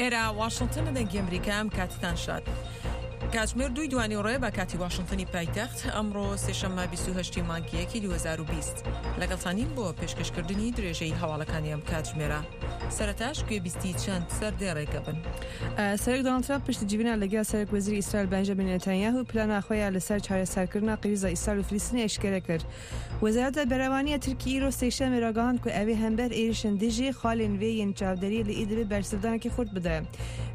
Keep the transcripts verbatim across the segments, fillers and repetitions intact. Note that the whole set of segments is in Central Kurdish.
ئێرە واشنتن دەنگی ئەمریکا، ئەم کاتتان شاد. کاتژمێر دووی دوانی ڕێ بە کاتی واشنتنی پایتەخت، ئەمڕۆ سێشەممە بیست و هەشت مانگی یەکی دوو هەزار و بیست. لەگەڵتانین بۆ پێشکەشکردنی درێژەی هەواڵەکانی ئەم کاتژمێرە. سەرەتاش گوێبیستی چەند سەردێڕێکە بن. سەرۆک دۆناڵد ترامپ پشتی جیڤینا لەگەڵ سەرۆک وەزیری ئیسرائیل بەنجامین نەتانیاهو پلانا خۆیان لەسەر چارەسەرکردنا قریزا ئیسرائیل و فلستینی ئەشکرا کرد. وەزارەت بەرەوانیە تورکی ئیرۆ سێشەممە راگەهاند کو ئەوێ هەمبەر ئێرشن دژی خالên vê yên çavderiyê li Îdlibê bersivdanekî xurt bide.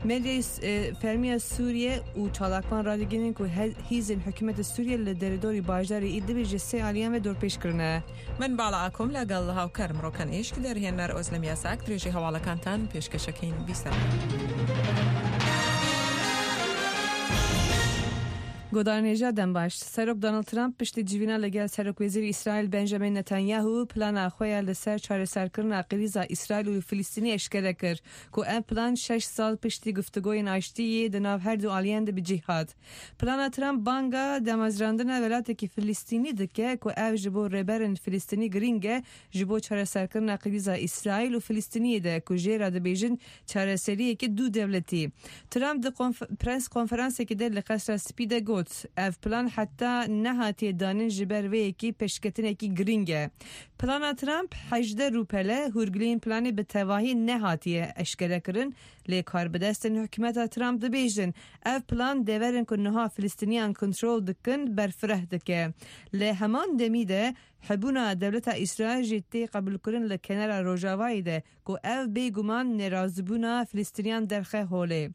Medyayê fermiya Sûriye û çalakvan radigihînin ku hêzên hikûmeta Sûriye li derûdorî bajarê Îdlibê ji sê aliyan ve dorpêç kirine. من باڵا ئاکۆم لەگەڵ هاوکارم ڕۆکەن ئیشک دەرهێنەر ئۆزلەم یاساک درێژەی هەواڵەکانتان پێشکەشەکەین بیسەر. گۆدارنێژا دەمباش. سەرۆک دۆناڵد ترامپ پشتی جیڤینا لەگەڵ سەرۆک وەزیری ئیسرائیل بەنجامین نەتانیاهو پلانا خۆیان لەسەر چارەسەرکردنا قریزا ئیسرائیل و فلستینی ئەشکرا کرد کو ئەم پلان شەش ساڵ پشتی گفتوگۆی ئاشتییە di nav her du aliyan de bi cih hat. Plana Trump banga damezrandina welatekî Filistînî dike ku ev ji bo rêberên Filistînî girîng e ji bo çareserkirina qirîza İsraîl û Filistîniyê de ku jê re dibêjin çareseriyekî du dewletî. Trump di press konferansekê de li Qesra Spî de got ev plan heta nehatiye danîn ji ber vê yekê pêşketinekî girîng e. Plana Trump hejdeh rûpele hûrgiliyên planê bi tevahî nehatiye eşkerekirin lê karbidestên hikûmeta Trump dibêjin ev plan deverên ku niha Filistîniyan kontrol dikin berfireh dike. Lê heman demî de hebûna dewleta İsraîl jî tê qebûlkirin li kenara Rojavayê de ku ev bêguman nerazîbûna Filistîniyan derxe holê.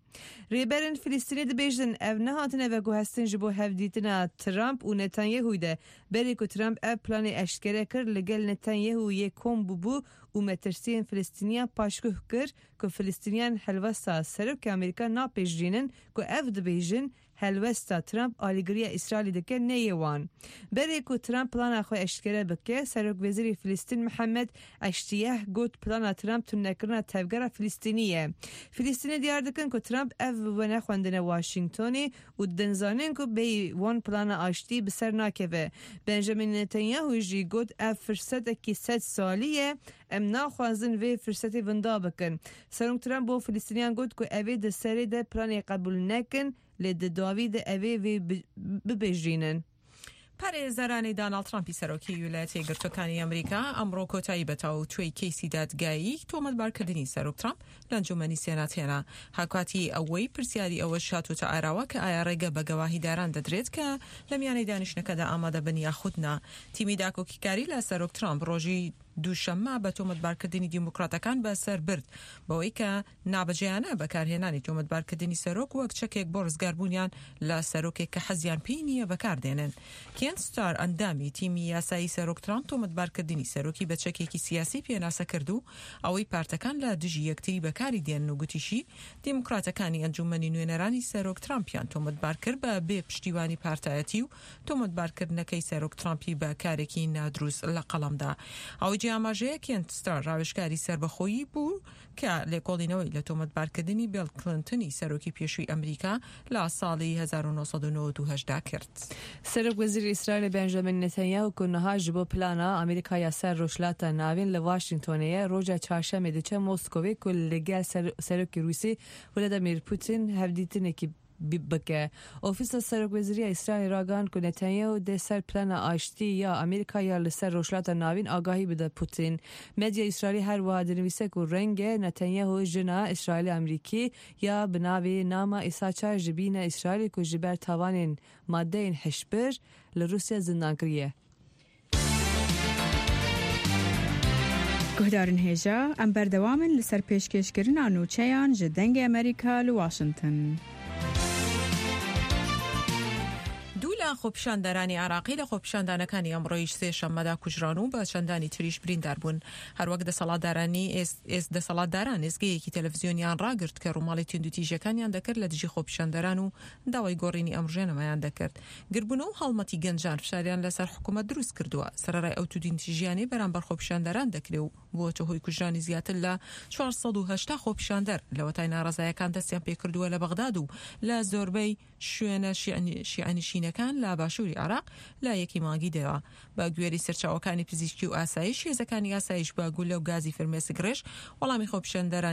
Rêberên Filistînê dibêjin ev nehatine veguhestin ji bo hevdîtina Trump û Netanyahu de berê ku Trump ev planê eşkere kir li gel Netanyahu yê kom bûbû û metirsiyên Filistîniyan paşguh kir ku Filistîniyan helwesta Serokê Amerîka napêjrînin ku ev dibêjin helwesta Trump alîgiriya İsraîlê dike neyê wan. Berê ku Trump plana xwe eşkere bike, Serokwezîrê Filistîn Mihemed Eştiyeh got plana Trump tunekirina tevgera Filistînî ye. Filistînê diyar dikin ku Trump ev wenexwendine Washingtonê û didin ku bêyî wan plana aştî bi ser nakeve. Benjamin Netanyahu jî got ev firsetekî sed salî ye, em naxwazin vê firsetê winda bikin. Serok Trump bo Filistîniyan got ku ev ê di serê de planê qebûl nekin lê di dawî de ev ê vê bibêjînin. پارێزەرانی دۆناڵد ترامپی سەرۆکی ویلایەتە یەکگرتووەکانی ئەمریکا ئەمڕۆ کۆتایی بە تاوتوێی کەیسی دادگایی تۆمەتبارکردنی سەرۆک ترامپ لە ئەنجومەنی سێنات هێنا. هاوکاتی ئەوەی پرسیاری ئەوەش هاتووەتە ئاراوە کە ئایا ڕێگە بە گەواهیداران دەدرێت کە لە میانەی دانیشتنەکەدا ئامادە بن یاخود نا. تیمی داکۆکیکاری لە سەرۆک ترامپ ڕۆژی دووشەممە بە تۆمەتبارکردنی دیموکراتەکان بەسەر برد بەوەی کە نابەجێیانە بەکارهێنانی تۆمەتبارکردنی سەرۆک وەک چەکێک بۆ ڕزگاربوونیان لە سەرۆکێک کە حەزیان پێی نییە بەکاردێنن. کێن ستار ئەندامی تیمی یاسایی سەرۆک ترامپ تۆمەتبارکردنی سەرۆکی بە چەکێکی سیاسی پێناسە کرد و ئەوەی پارتەکان لە دژی یەکتری بەکاری دێنن و گوتیشی دیموکراتەکانی ئەنجومەنی نوێنەرانی سەرۆک ترامپیان تۆمەتبار کرد بە بێ پشتیوانی پارتایەتی و تۆمەتبارکردنەکەی سەرۆک ترامپی بە کارێکی نادروست لە قەڵەمدا. ئەوەی ئاماژەیە کێنت ستار ڕاوێژکاری سەربەخۆیی بوو کە لێکۆڵینەوەی لە تۆمەتبارکردنی بیل کلینتۆنی سەرۆکی پێشووی ئەمریکا لە ساڵی هەزار و نۆ سەد و نەوەد و هەشت دا کرد. سەرۆک وەزیری ئیسرائیل بەنجامین نەتانیاهو ku niha ji bo plana Amerîkaya ser Rojhilata Navîn li Washingtonê ye roja çarşemê diçe Moskowê ku li gel Serokê Rûsî Vladimir Putin hevdîtinekî bike. Ofîsa Serokwezîriya İsraîlê ragihand ku Netanyahu dê ser plana aştî ya Amerîka ya li ser Rojhilata Navîn agahî bide Putin. Medya İsraîlî her wiha dinivîse ku renge Netanyahu jina İsraîlî Amerîkî ya bi navê Nama Îsaçar ji bîne İsraîlê ku ji ber tawanên maddeyên hişbir li Rûsya zindan kiriye. Guhdarên hêja, em berdewam in li ser pêşkêşkirina nûçeyan ji Dengê Amerîka li Washington. دوو لە خۆپیشاندەرانی عراقی لە خۆپیشاندانەکانی ئەمڕۆیش سێشەممەدا کوژران و بە چەندانی تریش بریندار بوون. هەروەک دەسەڵاتدارانی دەسەڵاتداران ئێزگەیەکی تەلەڤیزیۆنیان ڕاگرت کە ڕووماڵی توندوتیژەکانیان دەکرد لە دژی خۆپیشاندەران و داوای گۆڕینی ئەم ڕژێنەمەیان دەکرد. گربوونەوە و هەڵمەتی گەنجان فشاریان لەسەر حکوومەت دروست کردووە. سەرەڕای ئەو توندوتیژیانەی بەرامبەر خۆپیشاندەران دەکرێ و بووەتە هۆی کوژرانی زیاتر لە چوار سەد و هەشتا خۆپیشاندەر لەوەتای ناڕەزایەکان دەستیان پێکردووە لە بەغداد و لە زۆربەی شوێنە شیعەنشینەکان لە باشووری عراق لە یەکی مانگی دەوە. بە گوێری سەرچاوەکانی پزیشکی و ئاسایش، هێزەکانی ئاسایش بە گولە و گازی فرمێسک ڕێژ وەڵامی خۆپیشاندەرانیان